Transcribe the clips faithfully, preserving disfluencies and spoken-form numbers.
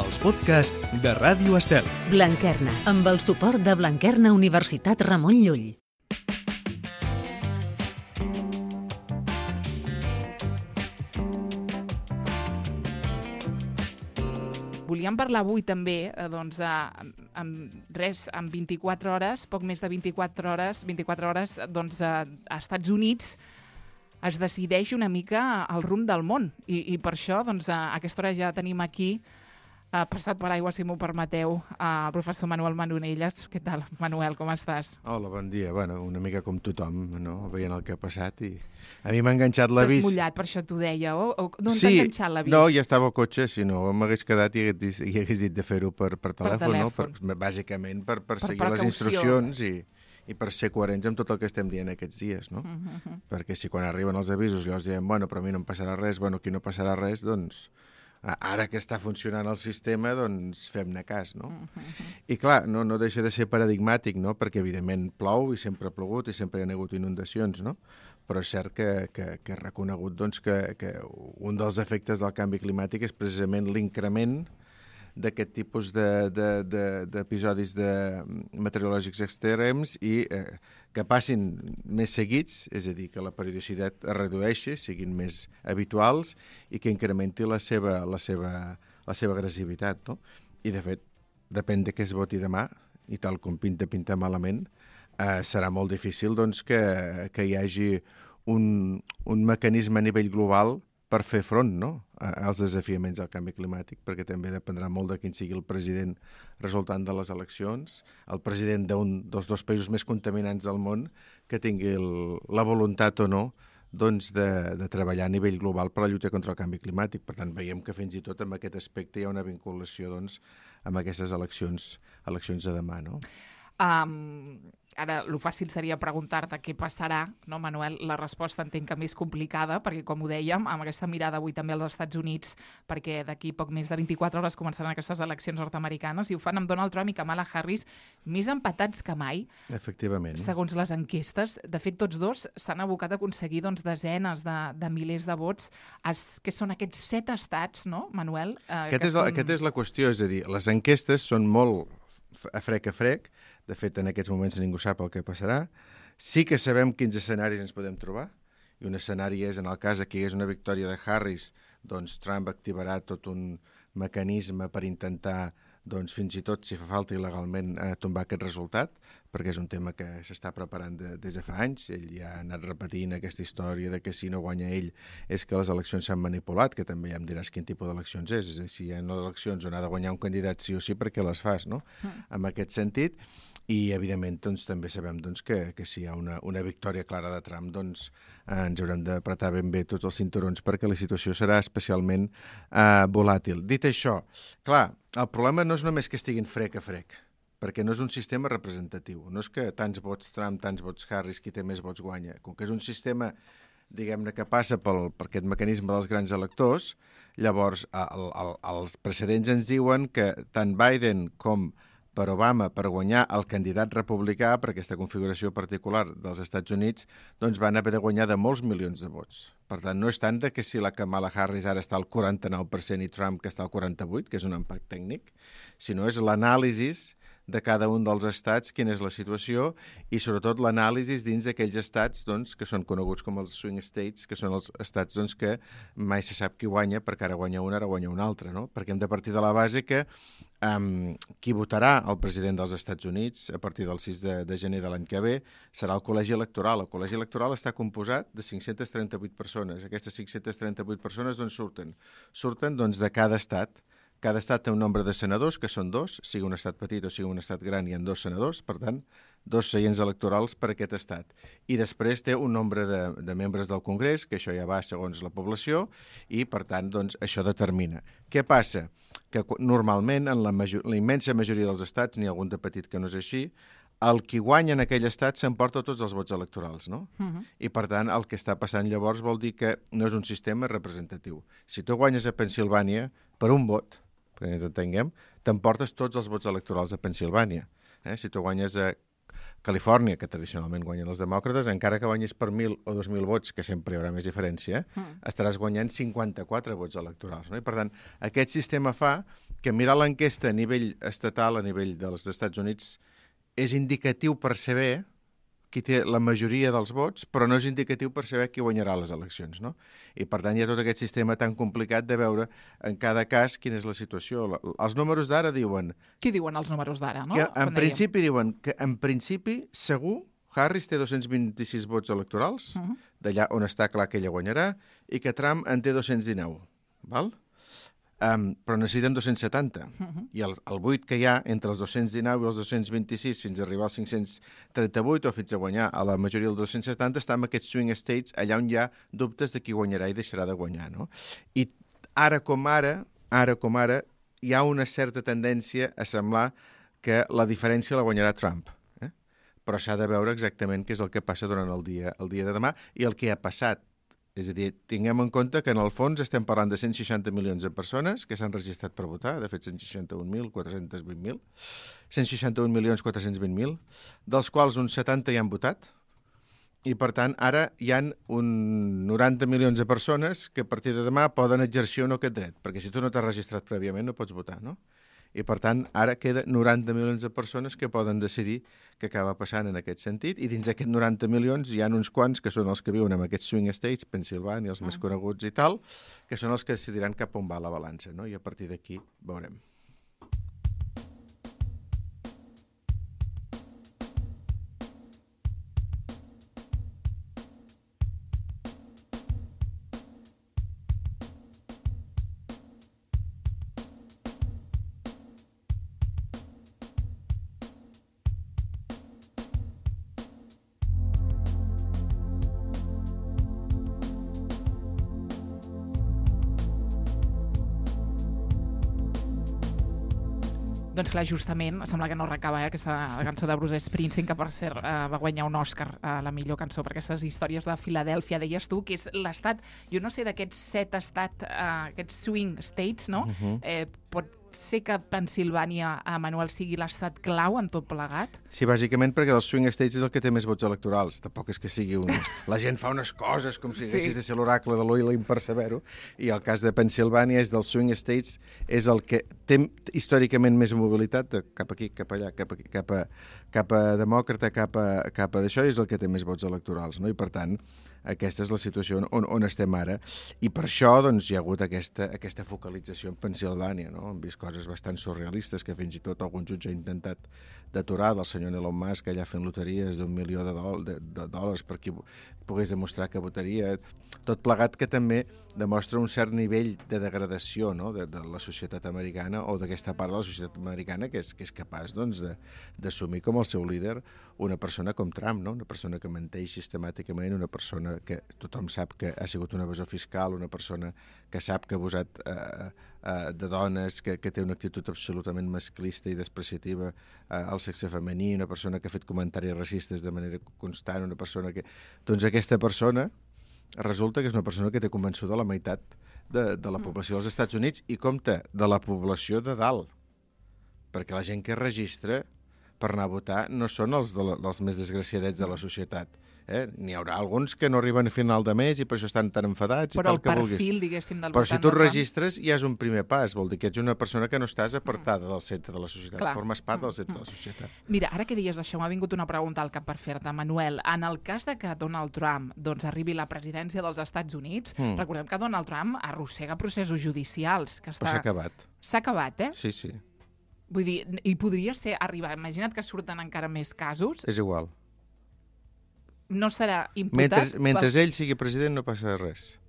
els podcasts de Ràdio Estel. Blanquerna, amb el suport de Blanquerna Universitat Ramon Llull. Volíem parlar avui també, eh, doncs, eh, amb res, en vint-i-quatre hores, poc més de vint-i-quatre hores, vint-i-quatre hores, doncs, eh, a Estats Units es decideix una mica el rumb del món. I, i per això, doncs, a aquesta hora ja tenim aquí, eh, passat per aigua, si m'ho permeteu, el professor Manuel Manonelles. Què tal, Manuel, com estàs? Hola, bon dia. Bueno, una mica com tothom, no? Veient el que ha passat i... A mi m'ha enganxat l'avís. T'has mullat, per això t'ho deia, o, o d'on sí, t'ha enganxat l'avís? No, ja estava al cotxe, si no m'hagués quedat i hagués, i hagués dit de fer-ho per, per telèfon, per telèfon. No? Per, bàsicament per, per, per seguir precaució. Les instruccions i, i per ser coherents amb tot el que estem dient aquests dies, no? Uh -huh. Perquè si quan arriben els avisos llavors diem, bueno, però a mi no em passarà res, bueno, aquí no passarà res, doncs ara que està funcionant el sistema, doncs fem-ne cas, no? Uh -huh. I clar, no, no deixa de ser paradigmàtic, no? Perquè evidentment plou i sempre ha plogut i sempre hi ha hagut inundacions, no? Però és cert que, que, que he reconegut doncs, que, que un dels efectes del canvi climàtic és precisament l'increment d'aquest tipus d'episodis de, de, de meteorològics extrems i eh, que passin més seguits, és a dir, que la periodicitat es redueixi, siguin més habituals i que incrementi la seva, la seva, la seva agressivitat, no? I, de fet, depèn de què es voti demà, i tal com pinta, pinta malament, eh, serà molt difícil doncs, que, que hi hagi un, un mecanisme a nivell global per fer front, no?, als desafiaments del canvi climàtic, perquè també dependrà molt de quin sigui el president resultant de les eleccions, el president d'un dels dos països més contaminants del món, que tingui el, la voluntat o no doncs, de, de treballar a nivell global per la lluita contra el canvi climàtic. Per tant, veiem que fins i tot en aquest aspecte hi ha una vinculació doncs, amb aquestes eleccions, eleccions de demà, no? Um, ara, el fàcil seria preguntar-te què passarà, no, Manuel? La resposta entenc que més complicada, perquè, com ho dèiem, amb aquesta mirada avui també als Estats Units, perquè d'aquí poc més de vint-i-quatre hores començaran aquestes eleccions nord-americanes, i ho fan amb Donald Trump i Kamala Harris més empatats que mai. Efectivament. Segons les enquestes. De fet, tots dos s'han abocat a aconseguir doncs, desenes de, de milers de vots, es, que són aquests set estats, no, Manuel? Eh, aquest, és la, són... aquest és la qüestió, és a dir, les enquestes són molt a frec a frec. De fet, en aquests moments ningú sap el que passarà. Sí que sabem quins escenaris ens podem trobar, i un escenari és, en el cas que hi hagués una victòria de Harris, doncs Trump activarà tot un mecanisme per intentar, doncs, fins i tot, si fa falta il·legalment, eh, tombar aquest resultat, perquè és un tema que s'està preparant de, des de fa anys. Ell ja ha anat repetint aquesta història de que si no guanya ell és que les eleccions s'han manipulat, que també ja em diràs quin tipus d'eleccions és. És a dir, si hi ha eleccions on ha de guanyar un candidat sí o sí, perquè les fas, no? Mm. En aquest sentit. I, evidentment, doncs, també sabem doncs, que, que si hi ha una, una victòria clara de Trump, doncs eh, ens haurem d'apretar ben bé tots els cinturons perquè la situació serà especialment eh, volàtil. Dit això, clar, el problema no és només que estiguin frec a frec, perquè no és un sistema representatiu. No és que tants vots Trump, tants vots Harris, qui té més vots guanya. Com que és un sistema, diguem-ne, que passa pel, per aquest mecanisme dels grans electors, llavors el, el, els precedents ens diuen que tant Biden com per Obama, per guanyar el candidat republicà per aquesta configuració particular dels Estats Units, doncs van haver de guanyar de molts milions de vots. Per tant, no és tant de que si la Kamala Harris ara està al quaranta-nou per cent i Trump que està al quaranta-vuit, que és un empat tècnic, sinó és l'anàlisi de cada un dels estats, quina és la situació, i sobretot l'anàlisi dins d'aquells estats doncs, que són coneguts com els swing states, que són els estats doncs, que mai se sap qui guanya, perquè ara guanya un, ara guanya un altre, no? Perquè hem de partir de la base que um, qui votarà el president dels Estats Units a partir del sis de, de gener de l'any que ve serà el col·legi electoral. El col·legi electoral està composat de cinc-centes trenta-vuit persones. Aquestes cinc-centes trenta-vuit persones d'on surten? Surten doncs, de cada estat. Cada estat té un nombre de senadors, que són dos, sigui un estat petit o sigui un estat gran, hi ha dos senadors, per tant, dos seients electorals per aquest estat. I després té un nombre de, de membres del Congrés, que això ja va segons la població, i, per tant, doncs, això determina. Què passa? Que normalment, en la, major, la immensa majoria dels estats, n'hi ha algun de petit que no és així, el qui guanya en aquell estat s'emporta tots els vots electorals, no? Uh-huh. I, per tant, el que està passant llavors vol dir que no és un sistema representatiu. Si tu guanyes a Pennsilvània per un vot, perquè ens entenguem, t'emportes tots els vots electorals a Pennsilvània. Eh? Si tu guanyes a Califòrnia, que tradicionalment guanyen els demòcrates, encara que guanyis per mil o dos mil vots, que sempre hi haurà més diferència, mm. estaràs guanyant cinquanta-quatre vots electorals. No? I, per tant, aquest sistema fa que mirar l'enquesta a nivell estatal, a nivell dels Estats Units, és indicatiu per saber qui té la majoria dels vots, però no és indicatiu per saber qui guanyarà les eleccions, no? I, per tant, hi ha tot aquest sistema tan complicat de veure en cada cas quina és la situació. Els números d'ara diuen... Què diuen els números d'ara, no? Que, en principi diuen que, en principi, segur, Harris té dos-cents vint-i-sis vots electorals, uh-huh. d'allà on està clar que ella guanyarà, i que Trump en té dos-cents dinou, val? Um, però necessiten dos-cents setanta. Uh-huh. I el, el buit que hi ha entre els dos-cents dinou i els dos-cents vint-i-sis fins a arribar als cinc-cents trenta-vuit o fins a guanyar a la majoria dels dos-cents setanta està en aquests swing states allà on hi ha dubtes de qui guanyarà i deixarà de guanyar, no? I ara com ara, ara com ara, hi ha una certa tendència a semblar que la diferència la guanyarà Trump. Eh? Però s'ha de veure exactament què és el que passa durant el dia, el dia de demà i el que ha passat. És a dir, tinguem en compte que en el fons estem parlant de cent seixanta milions de persones que s'han registrat per votar, de fet cent seixanta-un mil quatre-cents vint mil, cent seixanta-un milions quatre-cents vint mil, dels quals uns setanta hi han votat, i per tant ara hi han un noranta milions de persones que a partir de demà poden exercir o no aquest dret, perquè si tu no t'has registrat prèviament no pots votar, no? I, per tant, ara queda noranta milions de persones que poden decidir què acaba passant en aquest sentit, i dins d'aquests noranta milions hi ha uns quants que són els que viuen en aquests swing states, Pensilvània, els mm. més coneguts i tal, que són els que decidiran cap on va la balança, no? I a partir d'aquí veurem. Doncs clar, justament, sembla que no recaba eh, aquesta cançó de Bruce Springsteen, que per cert eh, va guanyar un Òscar a la millor cançó per aquestes històries de Filadèlfia, deies tu, que és l'estat, jo no sé d'aquests set estats, eh, aquests swing states, no? Uh-huh. Eh, pot ser que Pensilvània, a Manuel, sigui l'estat clau en tot plegat? Sí, bàsicament perquè dels swing states és el que té més vots electorals. Tampoc és que sigui un... La gent fa unes coses com si sí. haguessis de ser l'oracle de l'Oilim per saber-ho, i el cas de Pensilvània és dels swing states, és el que té històricament més mobilitat, cap aquí, cap allà, cap aquí, cap a, cap a demòcrata, cap a, cap a d'això, és el que té més vots electorals, no? I per tant, aquesta és la situació on, on estem ara. I per això doncs, hi ha hagut aquesta, aquesta focalització en Pensilvània, no? Hem vist coses bastant surrealistes que fins i tot algun jutge ha intentat d'aturar, del senyor Elon Musk allà fent loteries d'un milió de, do de, de dòlars per qui pogués demostrar que votaria. Tot plegat que també demostra un cert nivell de degradació, no? de, de la societat americana o d'aquesta part de la societat americana que és, que és capaç doncs, d'assumir com el seu líder una persona com Trump, no? Una persona que menteix sistemàticament, una persona que tothom sap que ha sigut un evasor fiscal, una persona que sap que ha abusat eh, eh, de dones, que, que té una actitud absolutament masclista i despreciativa eh, al sexe femení, una persona que ha fet comentaris racistes de manera constant, una persona que... Doncs aquesta persona resulta que és una persona que té convençuda la meitat de, de la població dels Estats Units i, compte, de la població de dalt. Perquè la gent que es registra per anar a votar no són els, de la, els més desgraciadets de la societat. Eh? N'hi haurà alguns que no arriben a final de mes i per això estan tan enfadats. Però i tal, el que perfil, vulguis. diguéssim, del Però votant... si tu et registres ja és un primer pas, vol dir que ets una persona que no estàs apartada del centre de la societat, Clar. formes part del centre de la societat. Mira, ara que dius això, m'ha vingut una pregunta al cap per fer-te, Manuel. En el cas de que Donald Trump doncs, arribi a la presidència dels Estats Units, mm. recordem que Donald Trump arrossega processos judicials. Que està... Però s'ha acabat. S'ha acabat, eh? Sí, sí. Vull dir, i podria ser arribar... Imagina't que surten encara més casos. És igual. No serà imputat... Mentre, mentre pel... ell sigui president no passa res.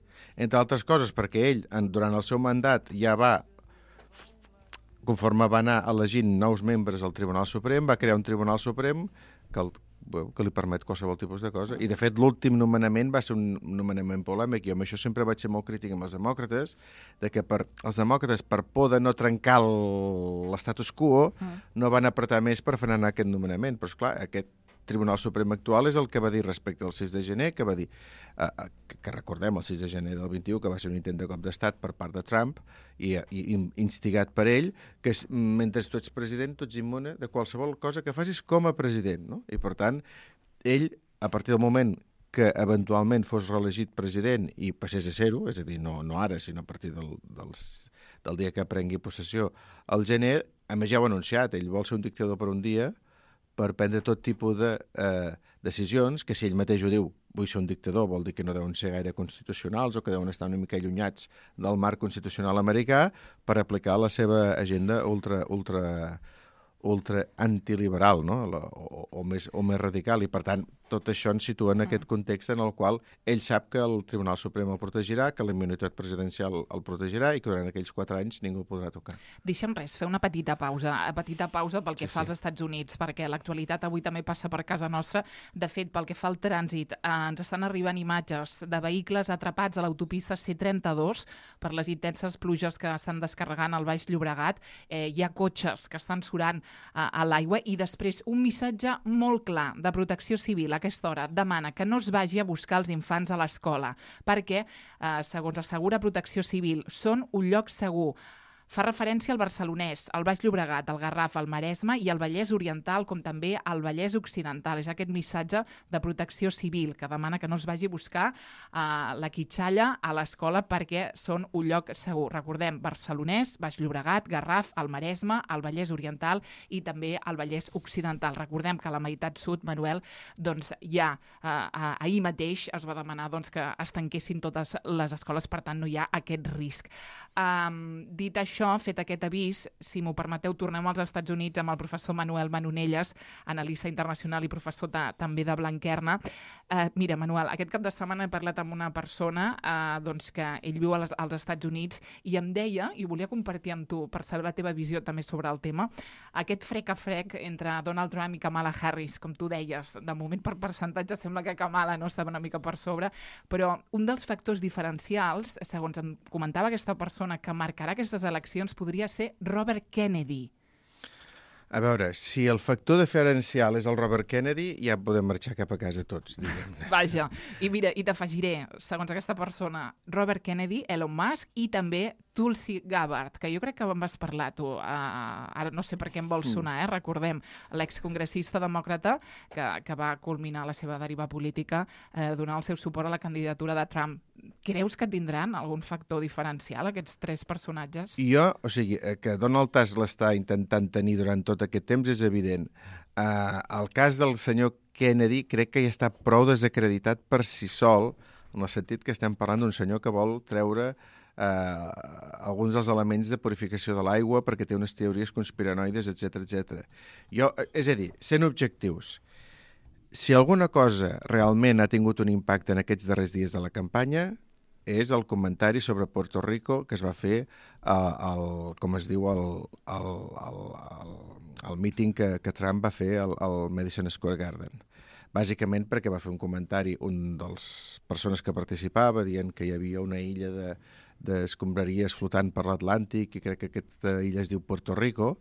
Entre altres coses, perquè ell, en, durant el seu mandat, ja va, conforme va anar elegint nous membres al Tribunal Suprem, va crear un Tribunal Suprem que, el, que li permet qualsevol tipus de cosa. I, de fet, l'últim nomenament va ser un nomenament polèmic. Jo amb això sempre vaig ser molt crític amb els demòcrates, de que per, els demòcrates, per por de no trencar l'estatus quo, mm. no van apretar més per frenar aquest nomenament. Però, esclar, aquest Tribunal Suprem actual és el que va dir respecte al sis de gener, que va dir, eh, que, que recordem el sis de gener del vint-i-u, que va ser un intent de cop d'estat per part de Trump i, i instigat per ell, que és, mentre tu ets president, tu ets immune de qualsevol cosa que facis com a president, no? I per tant, ell, a partir del moment que eventualment fos reelegit president i passés a ser-ho, és a dir, no, no ara, sinó a partir del, dels, del dia que prengui possessió. Al gener, a més ja ho ha anunciat, ell vol ser un dictador per un dia per prendre tot tipus de eh, decisions, que si ell mateix ho diu, vull ser un dictador, vol dir que no deuen ser gaire constitucionals o que deuen estar una mica allunyats del marc constitucional americà per aplicar la seva agenda ultra, ultra, ultra antiliberal, no? o, o, més, o més radical, i per tant tot això ens situa en aquest context en el qual ell sap que el Tribunal Suprem el protegirà, que la immunitat presidencial el protegirà i que durant aquells quatre anys ningú el podrà tocar. Deixa'm res, fer una petita pausa, petita pausa pel que sí, fa als sí. Estats Units, perquè l'actualitat avui també passa per casa nostra. De fet, pel que fa al trànsit, eh, ens estan arribant imatges de vehicles atrapats a l'autopista C trenta-dos per les intenses pluges que estan descarregant al Baix Llobregat. Eh, hi ha cotxes que estan surant eh, a l'aigua i després un missatge molt clar de Protecció Civil a aquesta hora demana que no es vagi a buscar els infants a l'escola perquè, eh, segons assegura Protecció Civil, són un lloc segur. Fa referència al Barcelonès, al Baix Llobregat, al Garraf, al Maresme i al Vallès Oriental, com també al Vallès Occidental. És aquest missatge de Protecció Civil que demana que no es vagi a buscar uh, la quitxalla a l'escola perquè són un lloc segur. Recordem, Barcelonès, Baix Llobregat, Garraf, al Maresme, al Vallès Oriental i també al Vallès Occidental. Recordem que a la meitat sud, Manuel, doncs ja uh, uh, ahir mateix es va demanar doncs, que es tanquessin totes les escoles, per tant no hi ha aquest risc. Um, dit això, fet aquest avís, si m'ho permeteu, tornem als Estats Units amb el professor Manuel Manonelles, analista internacional i professor de, també de Blanquerna. Uh, mira, Manuel, aquest cap de setmana he parlat amb una persona uh, doncs que ell viu als, als Estats Units i em deia, i volia compartir amb tu per saber la teva visió també sobre el tema, aquest frec a frec entre Donald Trump i Kamala Harris, com tu deies, de moment per percentatge sembla que Kamala no estava una mica per sobre, però un dels factors diferencials, segons em comentava aquesta persona, que marcarà aquestes eleccions podria ser Robert Kennedy. A veure, si el factor diferencial és el Robert Kennedy, ja podem marxar cap a casa tots, diguem. Vaja, i mira, i t'afegiré, segons aquesta persona, Robert Kennedy, Elon Musk i també Tulsi Gabbard, que jo crec que en vas parlar tu, uh, ara no sé per què em vols sonar, eh? Recordem, l'excongressista demòcrata que, que va culminar la seva deriva política eh, donant el seu suport a la candidatura de Trump. Creus que tindran algun factor diferencial aquests tres personatges? Jo, o sigui, que Donald Tusk l'està intentant tenir durant tot aquest temps és evident. Uh, el cas del senyor Kennedy crec que ja està prou desacreditat per si sol, en el sentit que estem parlant d'un senyor que vol treure Uh, alguns dels elements de purificació de l'aigua perquè té unes teories conspiranoides, etcètera, etcètera. Jo, és a dir, sent objectius, si alguna cosa realment ha tingut un impacte en aquests darrers dies de la campanya és el comentari sobre Puerto Rico que es va fer uh, al, com es diu, al, al, al, al, al míting que, que Trump va fer al, al Madison Square Garden. Bàsicament perquè va fer un comentari, un dels persones que participava, dient que hi havia una illa de d'escombraries flotant per l'Atlàntic i crec que aquesta illa es diu Puerto Rico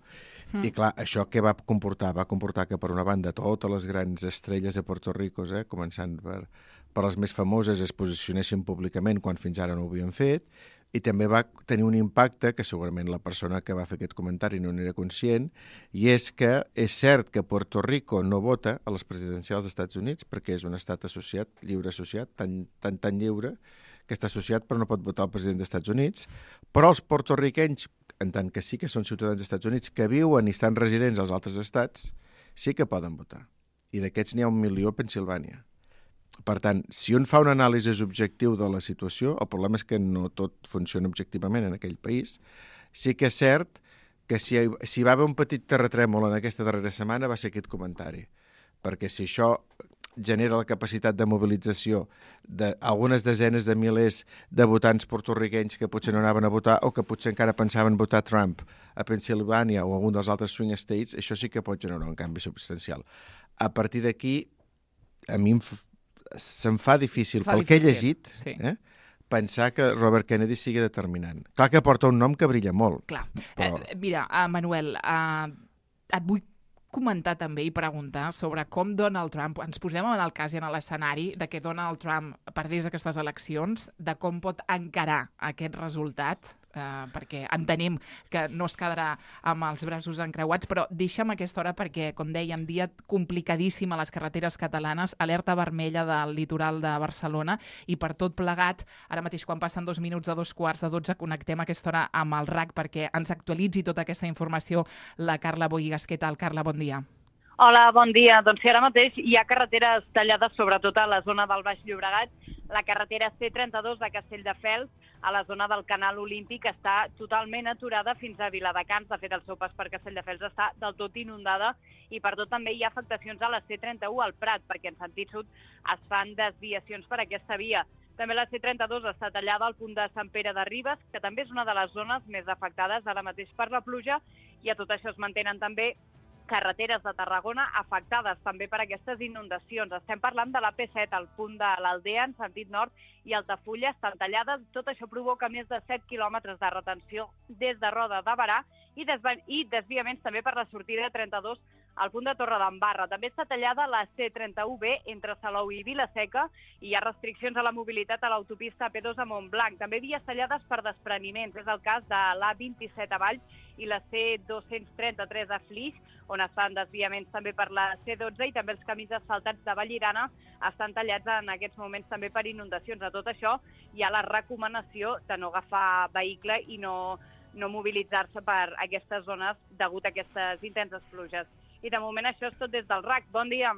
mm. i clar, això què va comportar? Va comportar que per una banda totes les grans estrelles de Puerto Rico, eh, començant per, per les més famoses, es posicionessin públicament quan fins ara no ho havien fet i també va tenir un impacte que segurament la persona que va fer aquest comentari no n'era conscient i és que és cert que Puerto Rico no vota a les presidencials dels Estats Units perquè és un estat associat, lliure associat, tan, tan, tan lliure que està associat però no pot votar el president dels Estats Units, però els porto-riquenys, en tant que sí que són ciutadans dels Estats Units, que viuen i estan residents als altres estats, sí que poden votar. I d'aquests n'hi ha un milió a Pennsilvània. Per tant, si un fa un anàlisi objectiu de la situació, el problema és que no tot funciona objectivament en aquell país, sí que és cert que si, si va haver un petit terratrèmol en aquesta darrera setmana va ser aquest comentari, perquè si això genera la capacitat de mobilització d'algunes desenes de milers de votants porto-riquenys que potser no anaven a votar o que potser encara pensaven votar Trump a Pennsilvània o algun dels altres swing states, això sí que pot generar un canvi substancial. A partir d'aquí, a mi em f... se'm fa difícil, fa pel difícil. que he llegit, sí. eh, pensar que Robert Kennedy sigui determinant. Clar que porta un nom que brilla molt. Clar. Però... Eh, mira, uh, Manuel, uh, et vull comentar també i preguntar sobre com Donald Trump, ens posem en el cas i en l'escenari de que Donald Trump perdés aquestes eleccions, de com pot encarar aquest resultat eh, perquè entenem que no es quedarà amb els braços encreuats, però deixa'm aquesta hora perquè, com dèiem, dia complicadíssim a les carreteres catalanes, alerta vermella del litoral de Barcelona, i per tot plegat, ara mateix quan passen dos minuts a dos quarts de dotze, connectem a aquesta hora amb el R A C perquè ens actualitzi tota aquesta informació la Carla Bohigas. Què tal, Carla? Bon dia. Hola, bon dia. Doncs sí, ara mateix hi ha carreteres tallades, sobretot a la zona del Baix Llobregat. La carretera C trenta-dos de Castelldefels, a la zona del Canal Olímpic, està totalment aturada fins a Viladecans. De fet, el seu pas per Castelldefels està del tot inundada i per tot també hi ha afectacions a la C trenta-u al Prat, perquè en sentit sud es fan desviacions per aquesta via. També la C trenta-dos està tallada al punt de Sant Pere de Ribes, que també és una de les zones més afectades ara mateix per la pluja, i a tot això es mantenen també carreteres de Tarragona afectades també per aquestes inundacions. Estem parlant de la P set, al punt de l'Aldea, en sentit nord, i Altafulla estan tallades. Tot això provoca més de set quilòmetres de retenció des de Roda de Berà i, i desviaments també per la sortida trenta-dos al punt de Torredembarra. També està tallada la C trenta-u B entre Salou i Vila-seca i hi ha restriccions a la mobilitat a l'autopista A P dos a Montblanc. També vies tallades per despreniments. És el cas de l'A vint-i-set a Valls i la C dos-cents trenta-tres a Flix, on es fan desviaments també per la C dotze, i també els camins asfaltats de Vallirana estan tallats en aquests moments també per inundacions. A tot això hi ha la recomanació de no agafar vehicle i no, no mobilitzar-se per aquestes zones degut a aquestes intenses pluges. I de moment això és tot des del R A C. Bon dia.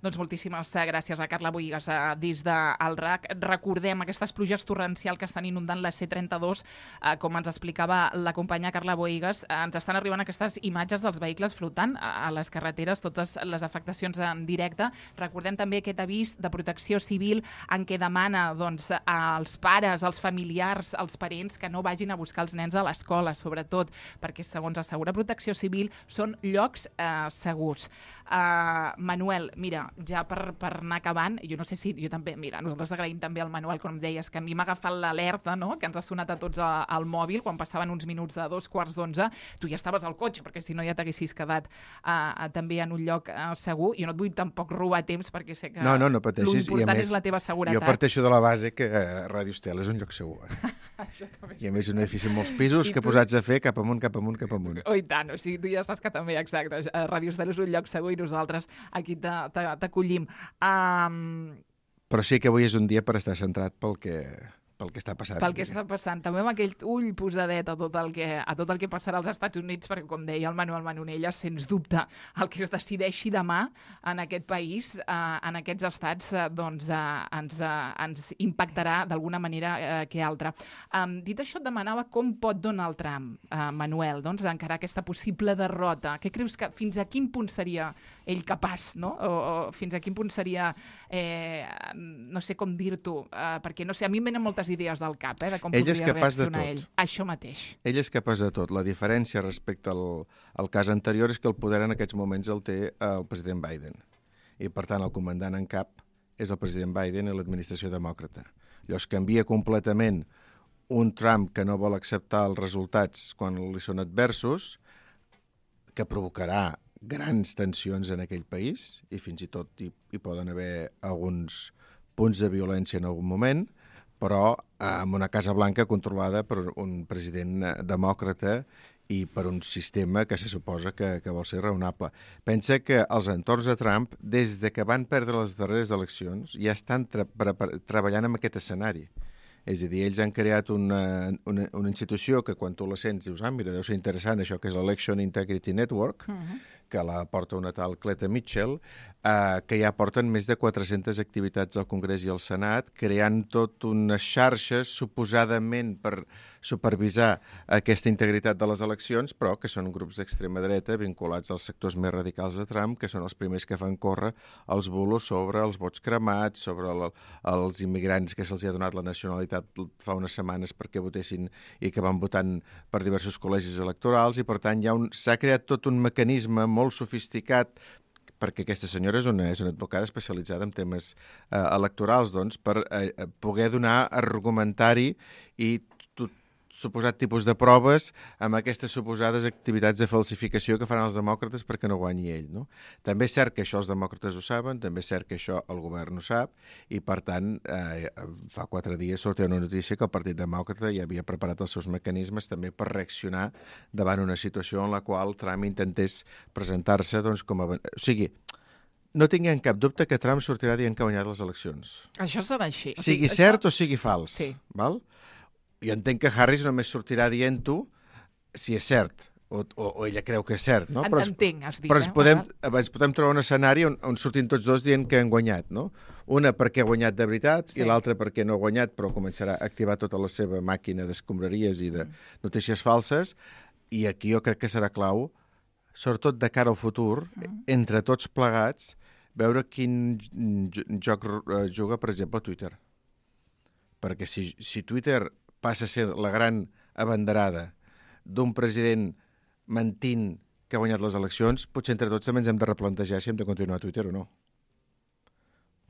Doncs moltíssimes gràcies a Carla Bohigas des del R A C. Recordem aquestes pluges torrencials que estan inundant la C trenta-dos. Eh, com ens explicava la companya Carla Bohigas, eh, ens estan arribant aquestes imatges dels vehicles flotant a, a les carreteres, totes les afectacions en directe. Recordem també aquest avís de Protecció Civil en què demana doncs, als pares, als familiars, als parents que no vagin a buscar els nens a l'escola, sobretot, perquè segons assegura Protecció Civil són llocs eh, segurs. Uh, Manuel, mira, ja per, per anar acabant, jo no sé si, jo també, mira, nosaltres agraïm també al Manuel, com deies, que a mi m'ha agafat l'alerta, no?, que ens ha sonat a tots a, al mòbil quan passaven uns minuts de dos quarts d'onze, tu ja estaves al cotxe, perquè si no ja t'haguessis quedat uh, també en un lloc uh, segur. Jo no et vull tampoc robar temps, perquè sé que no, no, no pateixis, l'important és la teva seguretat. Jo parteixo de la base que uh, Ràdio Estel és un lloc segur. Eh? I a més un edifici amb molts pisos I que tu... posats a fer cap amunt, cap amunt, cap amunt. Oh, i tant, o sigui, tu ja saps que també, exacte, Ràdio Estel és un lloc segur i nosaltres aquí t'acollim. Um... Però sí que avui és un dia per estar centrat pel que, pel que està passant. Pel que està passant. També amb aquell ull posadet a tot el que, a tot el que passarà als Estats Units, perquè, com deia el Manuel Manonelles, sens dubte, el que es decideixi demà en aquest país, eh, en aquests estats, eh, doncs eh, ens, eh, ens impactarà d'alguna manera eh, que altra. Um, dit això, et demanava com pot Donald Trump, eh, Manuel, doncs, encarar aquesta possible derrota. Què creus que fins a quin punt seria ell capaç, no? O, o fins a quin punt seria, eh, no sé com dir-t'ho, eh, perquè, no sé, a mi em venen moltes idees al cap, eh, de com ell podria reaccionar ell. Això mateix. Ell és capaç de tot. La diferència respecte al, al cas anterior és que el poder en aquests moments el té el president Biden. I, per tant, el comandant en cap és el president Biden i l'administració demòcrata. Llavors canvia completament un Trump que no vol acceptar els resultats quan li són adversos, que provocarà grans tensions en aquell país, i fins i tot hi, hi poden haver alguns punts de violència en algun moment, però amb una Casa Blanca controlada per un president demòcrata i per un sistema que se suposa que, que vol ser raonable. Pensa que els entorns de Trump, des de que van perdre les darreres eleccions, ja estan tra treballant en aquest escenari. És a dir, ells han creat una, una, una institució que quan tu la sents dius, ah, mira, deu ser interessant això, que és l'Election Integrity Network, uh-huh. que la porta una tal Cleta Mitchell, eh, que ja porten més de quatre-centes activitats al Congrés i al Senat, creant tot unes xarxes suposadament per supervisar aquesta integritat de les eleccions, però que són grups d'extrema dreta vinculats als sectors més radicals de Trump, que són els primers que fan córrer els bulos sobre els vots cremats, sobre el, els immigrants que se'ls ha donat la nacionalitat fa unes setmanes perquè votessin i que van votant per diversos col·legis electorals, i per tant s'ha creat tot un mecanisme molt sofisticat, perquè aquesta senyora és una, és una advocada especialitzada en temes eh, electorals, doncs, per eh, poder donar argumentari i suposat tipus de proves amb aquestes suposades activitats de falsificació que faran els demòcrates perquè no guanyi ell. No? També és cert que això els demòcrates ho saben, també és cert que això el govern ho sap, i per tant, eh, fa quatre dies sortia una notícia que el Partit Demòcrata ja havia preparat els seus mecanismes també per reaccionar davant una situació en la qual Trump intentés presentar-se doncs, com a... O sigui, no tinguem cap dubte que Trump sortirà dient que ha guanyat les eleccions. Això serà així. Sigui o sigui, cert això... o sigui fals. Sí. Val? Jo entenc que Harris només sortirà dient-ho si és cert, o, o, o ella creu que és cert. No? En, Però es, entenc, has dit. però eh? ens podem, ens podem trobar un escenari on, on surtin tots dos dient que han guanyat. No? Una perquè ha guanyat de veritat sí. i l'altra perquè no ha guanyat, però començarà a activar tota la seva màquina d'escombraries i de notícies falses. I aquí jo crec que serà clau, sobretot de cara al futur, mm. entre tots plegats, veure quin joc juga, per exemple, Twitter. Perquè si, si Twitter passa a ser la gran abanderada d'un president mentint que ha guanyat les eleccions, potser entre tots també ens hem de replantejar si hem de continuar a Twitter o no.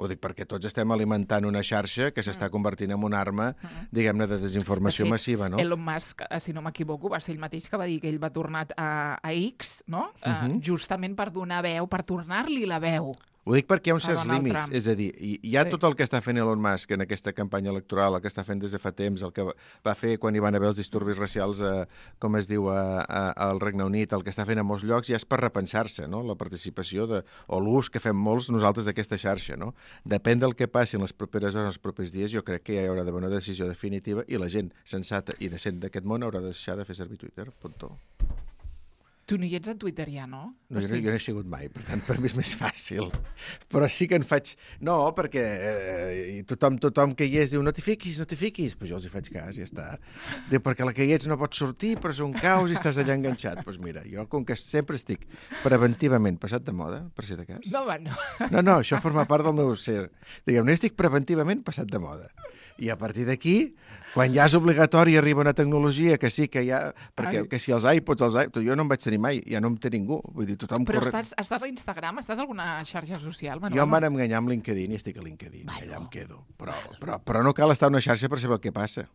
Ho dic perquè tots estem alimentant una xarxa que s'està convertint en una arma, diguem-ne, de desinformació de fet, massiva, no? Elon Musk, si no m'equivoco, va ser ell mateix que va dir que ell va tornar a, a X, no? Uh -huh. uh, justament per donar veu, per tornar-li la veu. Ho dic perquè hi ha uns certs Donald límits, Trump. és a dir, hi, hi ha Sí. tot el que està fent Elon Musk en aquesta campanya electoral, el que està fent des de fa temps, el que va, va fer quan hi van haver els disturbis racials, a, com es diu, a, a, al Regne Unit, el que està fent a molts llocs, ja és per repensar-se, no?, la participació de, o l'ús que fem molts nosaltres d'aquesta xarxa, no? Depèn del que passi en les properes hores, els propers dies, jo crec que ja hi haurà d'haver una decisió definitiva i la gent sensata i decent d'aquest món haurà de deixar de fer servir Twitter, puntó. Tu no hi ets a Twitter ja, no? No, O jo, no, sigui... jo no he sigut mai, per tant, per mi és més fàcil. Però sí que en faig... No, perquè eh, tothom, tothom que hi és diu no t'hi fiquis, no t'hi fiquis. Pues jo els hi faig cas, ja està. Diu, perquè la que hi ets no pots sortir, però és un caos i estàs allà enganxat. Doncs pues mira, jo com que sempre estic preventivament passat de moda, per si de cas... No, home, no. No, no, això forma part del meu ser. Diguem, no estic preventivament passat de moda. I a partir d'aquí, quan ja és obligatori arriba una tecnologia que sí que ja... Perquè que si els iPods, els iPods... Jo no em vaig tenir mai, ja no em té ningú. Vull dir, tothom Però corre... estàs, estàs a Instagram? Estàs a alguna xarxa social, Manuel? Jo em van enganyar amb LinkedIn i estic a LinkedIn. Bueno, allà em quedo. Però, però, però no cal estar a una xarxa per saber el que passa.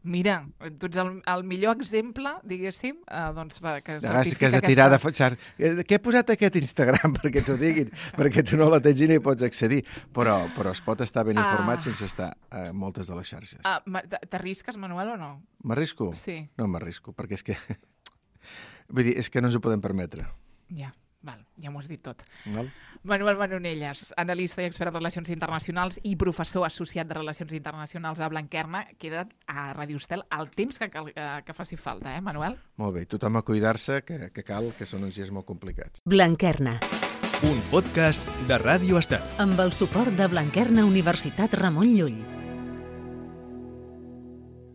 Mira, tu ets el, el millor exemple, diguéssim, eh, doncs, que que has certifica de tirar de fatxar. Què he posat a aquest Instagram perquè t'ho diguin? Perquè tu no la tens i no hi pots accedir. Però, però es pot estar ben informat Ah. sense estar a moltes de les xarxes. Ah, ma- t'arrisques, Manuel, o no? M'arrisco? Sí. No m'arrisco, perquè és que... Vull dir, és que no ens ho podem permetre. Ja, val, ja m'ho has dit tot. Val? Manuel Manonelles, analista i expert en relacions internacionals i professor associat de Relacions Internacionals a Blanquerna. Queda a Ràdio Estel el temps que, cal, que faci falta, eh, Manuel? Molt bé, tothom a cuidar-se, que, que cal, que són uns dies molt complicats. Blanquerna, Un podcast de Ràdio Estel. amb el suport de Blanquerna Universitat Ramon Llull.